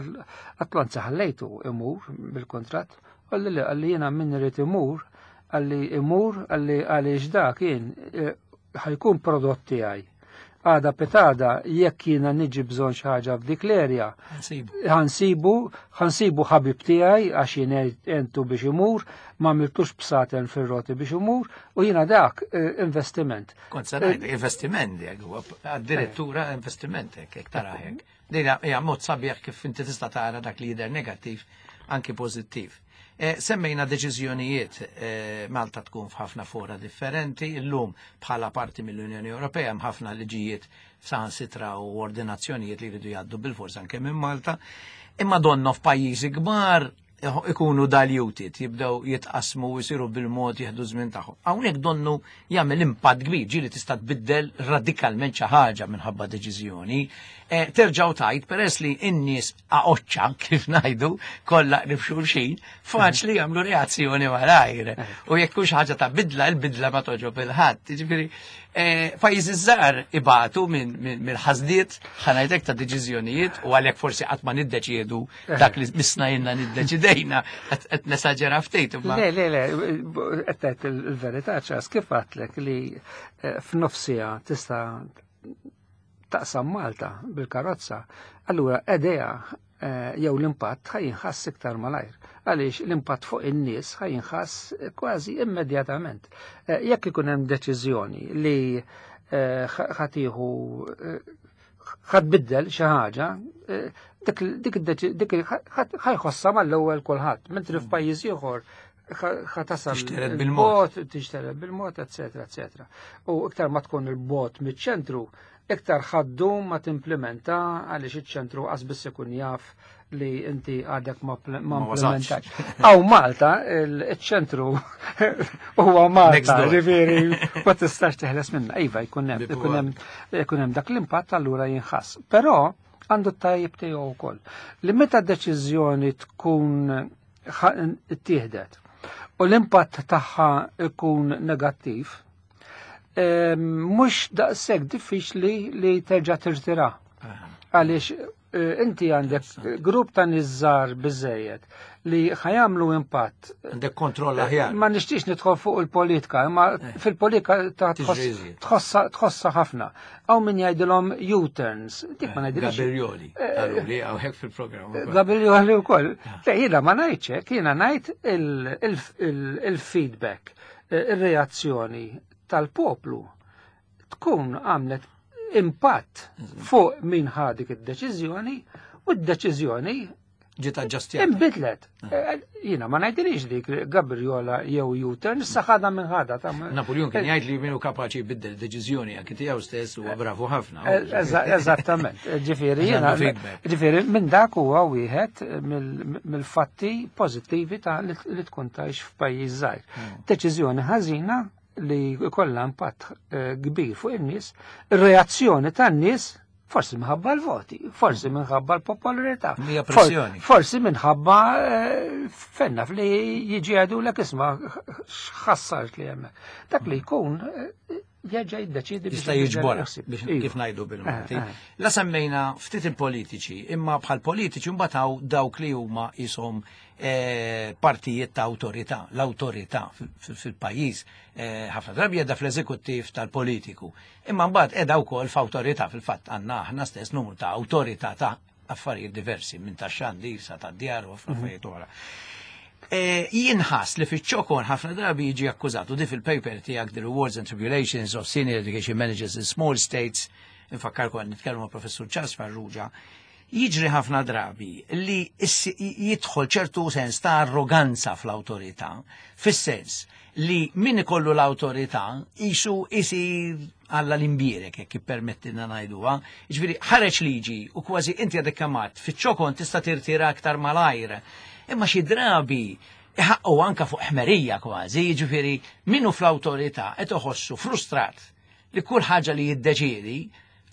għatlu anzi ħallejtu imur bil-kontratt, għalli li għalli jiena min irid imur, għalli imur, għalli għaliex da kien ħajkun prodott tiegħi. Għada pitada, jekk jiena niġi bżonn xi ħaġa f'dik l-erja, Ħansibu. ħansibu ħabib tiegħi għax jien entu biex imur, ma għamiltux bsaten fir-roti biex imur, u jiena dak investiment. Kont se ngħid, investiment jekk huwa addirittura investiment hekk, jekk tara hekk. Din hija mod sabiħ kif inti tista' tara dak li jidher negattiv anki pożittiv. Semmejna deċiżjonijiet, Malta tkun f'ħafna fora differenti, illum bħala parti mill-Unjoni Ewropea hemm ħafna liġijiet saħansitra u ordinazzjonijiet li jridu jgħaddu bil-forsa anke minn Malta. Imma donno f'pajjiżi kbar Ikunu diluted, jibdew jitqasmu u jsiru bil-mod jieħdu żmien tagħhom. Hawnhekk donnu jagħmel impatt kbir, ġieli tista' tbiddel radikalment xi ħaġa minħabba deċiżjoni. Terġgħu tajt peress li n-nies aqoċċa kif ngħidu kollha qrib xulxin, faċli jagħmlu reazzjoni malajr. U jekk hux ħaġa ta' bidla, il-bidla ma toġob il-ħadd. Jiġifieri pajjiżi żgħar ibatu mill-ħażliet ħanajdek ta' deċiżjonijiet u għalhekk forsi qatt ma niddeċiedu dak li misna jenna niddeċidejna qed nesaġera ftit. Le, le, le, qed tgħid il-verità ċas kif għadtlek li f'nofsija tista' taqsam Malta bil-karozza, allura idea jew l-impatt ħa jinħass iktar malajr. Għaliex l-impatt fuq in-nies ħa jinħass kważi immedjatament. Jekk ikun hemm deċiżjoni li ħa tieħu ħa tbiddel xi ħaġa, dik dik ħa jħossha mal-ewwel kulħadd, mentri f'pajjiż ieħor ħa tasal Tixtered bil-mod. Tixtered bil-mod, eccetera, eccetera. U iktar ma tkun il-bogħod miċ-ċentru, iktar ħa ddum ma timplementa għaliex iċ-ċentru qas biss ikun jaf li inti għadek ma Ma wasalx. implementax. Aw Malta, il-ċentru huwa Next Malta, door. ġifieri ma tistax teħles minna. Iva, jkun hemm, Bibu ikun hemm dak l-impatt allura jinħass. Però għandu t-tajjeb tiegħu wkoll. Li meta deċiżjoni tkun ittieħdet u l-impatt tagħha ikun negattiv, mhux daqshekk diffiċli li terġa' tirtira. Għaliex inti għandek grupp ta' nies żgħar biżejjed li ħa jagħmlu impatt. Għandek kontroll aħjar. Ma nixtiex nidħol fuq il-politika, imma fil-politika ta' Tiġri iżjed. tħossa ħafna. Hawn min jgħidilhom U-turns, dik ma ngħidilhomx. Gabrioli, għallu li hawn hekk fil-programm ukoll. Gabrioli wkoll. Le, jiena ma ngħidx hekk, jiena ngħid il-feedback, ir-reazzjoni tal-poplu tkun għamlet impatt fuq min ħa dik id-deċiżjoni u d-deċiżjoni ġiet aġġustjata. Inbidlet. Jiena ma ngħidilix dik Gabriola jew U-turn, issa ħadha minn ħadha ta' Napoleon kien jgħid li minnu kapaċi jbiddel deċiżjoni anke tiegħu stess huwa bravu ħafna. Eżattament. Ġifieri Għandu jiena feedback. Ġifieri minn dak huwa wieħed mill-fatti pożittivi ta' li tkun tgħix f'pajjiż żgħir. Deċiżjoni ħażina li jkollha impatt kbir fuq in-nies, ir-reazzjoni tan-nies forsi minħabba l-voti, forsi minħabba l-popolarità. Mija pressjoni. Forsi minħabba fenna li jiġi għadu l isma x'ħassart li hemmhekk. Dak li jkun jerġa' jiddeċidi biex Jista' jibdel jiġbora il-ħsieb. biex Iva. kif ngħidu bil-Malti. La semmejna ftit il-politiċi, imma bħal politiċi mbagħad hawn dawk li huma ishom partijiet ta' awtorità, l-awtorità fil-pajjiż ħafna drabi qiegħda fl-eżekuttiv tal-politiku. Imma mbagħad qiegħda wkoll f'awtorità fil-fatt għandna aħna stess numru ta' awtorità ta' affarijiet diversi minn ta' xandir sa ta' djar u affarijiet oħra. Jinħass li fiċ-ċokon ħafna drabi jiġi akkużat u di fil-paper tiegħek The Rewards and Tribulations of Senior Education Managers in Small States, infakkarkom għan nitkellmu ma' Professur Charles Farrugia, jiġri ħafna drabi li jidħol ċertu sens ta' arroganza fl-awtorità, fis-sens li min ikollu l-awtorità isu isir Alla l-imbierek, jekk ippermettilna ngħiduha. Jiġifieri ħareġ liġi u kważi inti għadek kemm fiċ-ċokon tista' tirtira aktar malajr. Imma xi drabi iħaqqu anka fuq ħmerija kważi, jiġifieri minnu fl-awtorità qed iħossu frustrat li kull ħaġa li jiddeċiedi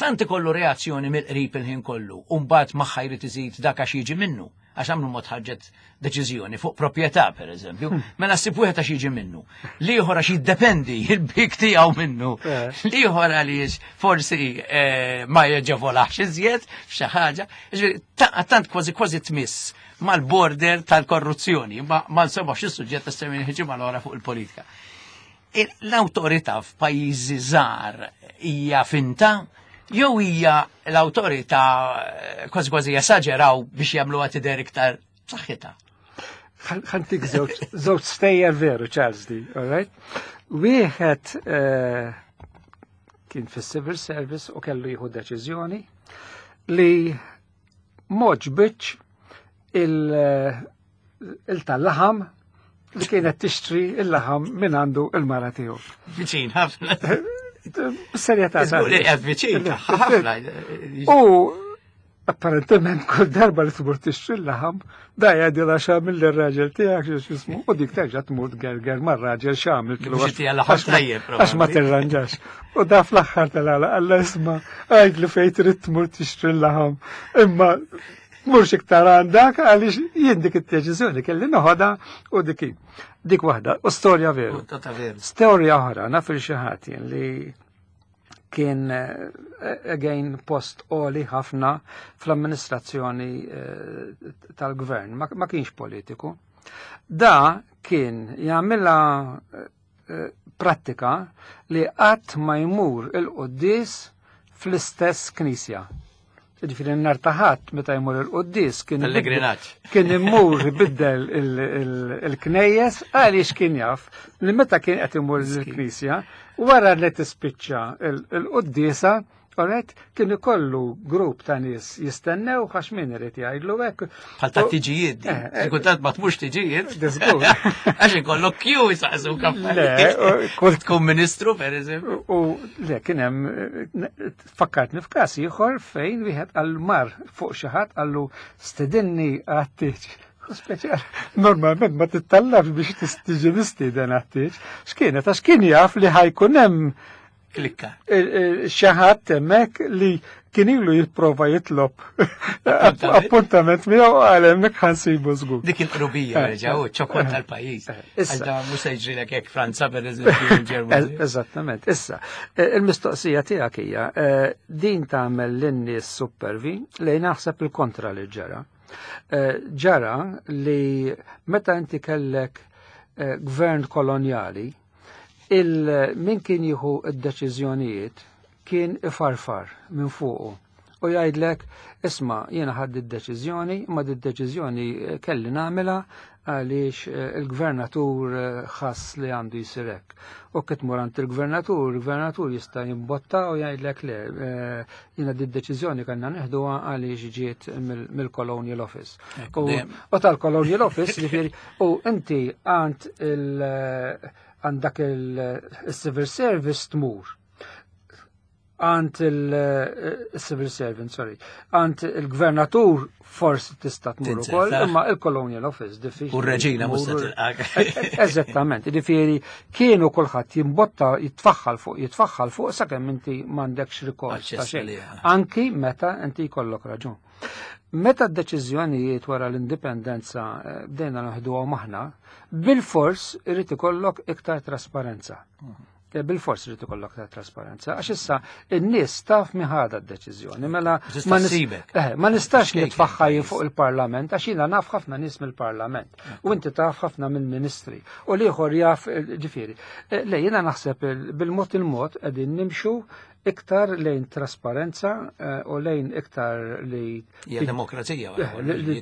tant ikollu reazzjoni mill-qrib il-ħin kollu, u mbagħad magħha jrid iżid dak għax jiġi minnu, għax għamlu mod ħarġet deċiżjoni fuq proprjetà pereżempju, mela ssib wieħed għax jiġi minnu, l-ieħor għax jiddependi il-bik tiegħu minnu, l-ieħor għaliex forsi ma jeġevolax iżjed f'xi ħaġa, jiġifieri tant kważi kważi tmiss mal-border tal-korruzzjoni, ma nsemmax is-suġġett ta' semmi ġimgħa l-oħra fuq il-politika. L-awtorità f'pajjiżi żgħar hija finta jew hija l-awtorità kważi kważi jesaġeraw biex jagħmluha tidher iktar b'saħħitha? Ħa ntik żewġ stejjer veru, Charles di, all right? Wieħed kien fis-civil service u kellu jieħu deċiżjoni li m'għoġbitx il-tal-laħam li kienet tixtri il-laħam minn għandu il-mara tiegħu. Viċin ħafna. Serjetà. Żgur li qiegħed viċin ħafna. U Apparentement kull darba li tmur tixtri l-laħam, da jgħidilha x'għamil lir-raġel tiegħek x'ismu, u dik terġa' tmur tgerger mar-raġel x'għamil kienu għax ma tirranġax. U da fl-aħħar tal-għala qalla isma' għajd li fejn trid tmur tixtri l-laħam. Imma murx iktar għandak għaliex jien dik id-deċiżjoni kelli noħodha u dik dik waħda, u storja veru. Storja oħra, naf il xi ħadd jien li kien again post għoli ħafna fl-amministrazzjoni tal-gvern, ma kienx politiku. Da kien jagħmilha prattika li qatt ma jmur il-quddies fl-istess knisja. Ġifieri n-nar ta' Ħadd meta jmur il-quddies kien Pellegrinaġġ. Kien imur ibiddel il-knejjes għaliex kien jaf li meta kien qed imur il-knisja wara li tispiċċa il-quddiesa, alright, kien ikollu grupp ta' nies jistennew għax min irid jgħidlu hekk. Bħal ta' tiġijiet din. Kultant ma tmurx tiġijiet. Diżgur. Għax ikollok kju jisaqsu kaffarijiet. Le, kull tkun ministru pereżempju. U le kien hemm fakkartni f'każ ieħor fejn wieħed għal mar fuq xi ħadd qallu stedinni għat-tieġ. Speċjal, normalment ma tittallabx biex tiġi mistieden għat-tieġ. X'kienet? Għax kien jaf li ħajkun hemm klikka. Xi ħadd hemmhekk li kien ilu jipprova jitlob appuntament miegħu għal hemmhekk ħansibu żgur. Dik il-qrubija reġa' u ċokon tal-pajjiż. Issa mhux se jiġrilek hekk Franza pereżempju il-Ġermanja. Eżattament. Issa, il-mistoqsija tiegħek hija din tagħmel lin-nies supervi li naħseb il-kontra li ġara. Ġara li meta inti kellek gvern kolonjali, il-min kien jieħu d-deċiżjonijiet kien ifarfar minn fuqu u jgħidlek, isma' jiena ħadd id-deċiżjoni, imma d-deċiżjoni kelli nagħmilha għaliex il-gvernatur ħass li għandu jsir hekk. U kif tmur għand il-gvernatur, il-gvernatur jista' jimbotta u jgħidlek le, jiena d-deċiżjoni kellna neħduha għaliex ġiet mill-Colonial Office. U tal-Colonial Office, ġifieri, u inti għand għandak il-civil service tmur. Għand il-civil servant, sorry. Għand il-gvernatur forsi tista' tmur ukoll, imma il-Colonial Office diffiċli. U r-reġina mhux se tilqak. Eżattament, jiġifieri kienu kulħadd jimbotta jitfaħħal fuq, jitfaħħal fuq sakemm inti m'għandekx rikors ta' xejn. Anki meta inti jkollok raġun. Meta d-deċiżjonijiet wara l-indipendenza bdejna naħduhom aħna, bil-fors irid ikollok iktar trasparenza. Bil-fors irid ikollok iktar trasparenza, għax issa n-nies taf min ħadha d-deċiżjoni, mela ma nistax nitfaħħa jien fuq il-Parlament, għax jiena naf ħafna nies mill-Parlament, u inti taf ħafna mill-Ministri, u l-ieħor jaf, ġifieri. Le, jiena naħseb bil-mod il-mod qegħdin nimxu iktar lejn trasparenza u lejn iktar li Hija demokrazija, li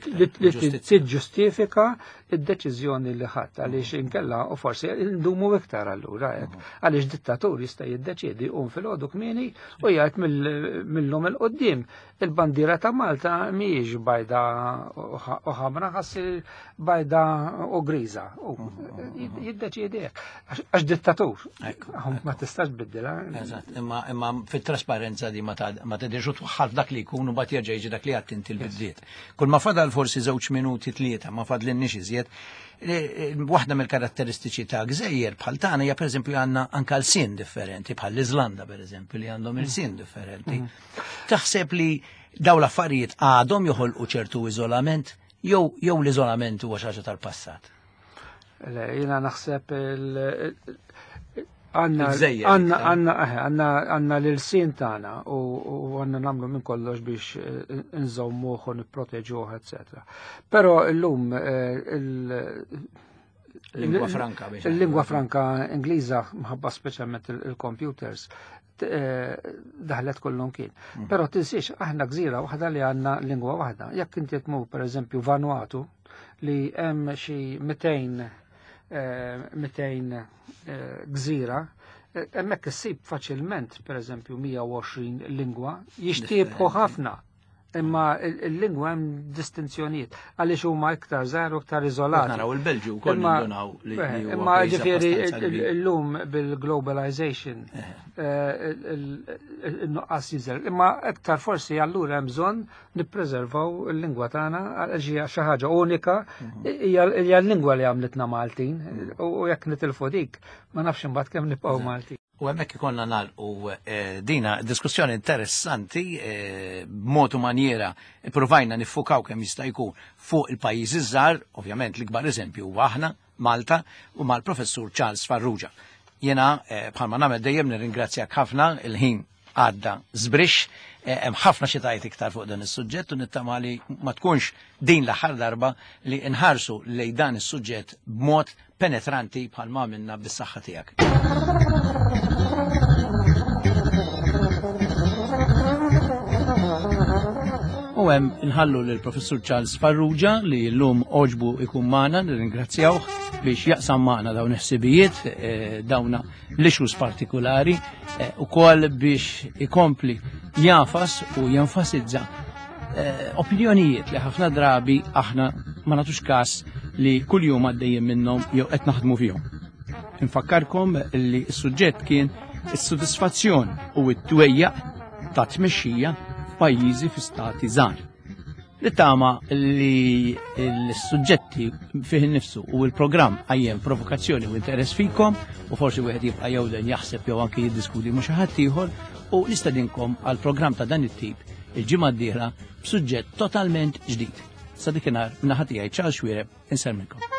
tiġġustifika id-deċiżjoni li ħadd, għaliex inkella u forsi ndumu iktar allura hekk. Għaliex dittatur jista' jiddeċiedi jqum filgħodu kmieni u jgħid mill-lum il quddiem il-bandiera ta' Malta mhijiex bajda u ħamra, ħassi bajda u griża. U jiddeċiedi hekk. Għax dittatur. Ma tistax tbiddilha. Eżatt, imma fit-trasparenza di ma tidirx u twaħħal f'dak li jkun u mbagħad jerġa' jiġi dak li għadt inti l-bidliet. Kull ma fadal forsi żewġ minuti tlieta, ma fadlinniex iżjed. Waħda mill-karatteristiċi ta' gżejjer bħal tagħna hija pereżempju għandna anke l-sin differenti, bħal l-Iżlanda pereżempju li għandhom il-sin differenti. Taħseb li daw l-affarijiet għadhom joħolqu ċertu iżolament jew l-iżolament huwa xi ħaġa tal-passat? Le, jiena naħseb Gżejjer iktar. għanna l-sin tagħna u għanna nagħmlu minn kollox biex nżommuh u nipproteġuh, eccetera. Però llum Lingwa franka biex il-lingwa ngħidu. franka Ingliża mħabba speċjalment il-computers daħlet kollhom kien. Però tinsiex aħna gżira waħda li għandna lingwa waħda. Jekk inti tmur pereżempju Vanuatu li hemm xi 200 gżira, hemmhekk issib faċilment pereżempju 120 lingwa jixtiebħu ħafna. Imma il-lingwa hemm distinzjonijiet għaliex huma iktar żgħar u iktar iżolati. Naraw il-Belġju wkoll nindunaw li eh, Imma ġifieri illum bil-globalization eh, il-nuqqas jinżel. Imma iktar forsi allura hemm bżonn nippreservaw il-lingwa tagħna għaliex hija xi ħaġa unika, mhm. hija l-lingwa li għamlitna Maltin mhm. u jekk nitilfu dik ma nafx imbagħad kemm nibqgħu Maltin. U hemmhekk ikollna nagħlqu eh, dina diskussjoni interessanti eh, b'mod u manjera provajna niffukaw kemm jista' jkun fuq il-pajjiżi żgħar, ovvjament l-ikbar eżempju huwa aħna, Malta, u mal-Professur Charles Farrugia. Jena eh, bħalma nagħmel dejjem nirringrazzjak ħafna il-ħin għadda żbrix, hemm ħafna xi tajt iktar fuq dan is-suġġett u nittama li ma tkunx din l-aħħar darba li nħarsu lejn dan is-suġġett b'mod penetranti bħal ma għamilna bis-saħħa tiegħek. U hemm inħallu lil Professur Charles Farrugia li llum oġbu ikun magħna, nirringrazzjawh biex jaqsam magħna dawn il-ħsibijiet, eh, dawna l-issues partikulari, eh, ukoll biex ikompli jafas u jenfasizza eh, opinjonijiet li ħafna drabi aħna ma nagħtux każ li kuljum għaddejjin minnhom jew qed naħdmu fihom. Infakkarkom li s-suġġett kien is-sodisfazzjon u t-twejjaq ta' tmexxija f'pajjiżi fi stati żgħar. Nittama li l-suġġetti fih nifsu u l-programm għajjem provokazzjoni u interess fikom u forsi wieħed jibqa' jewden jaħseb jew anke jiddiskuti ma' xi ħadd ieħor u nistedinkom għal programm ta' dan it-tip il-ġimgħa d-dieħla b'suġġett totalment ġdid. Sa dikinhar naħa tiegħi Charles Xuereb insellmilkom.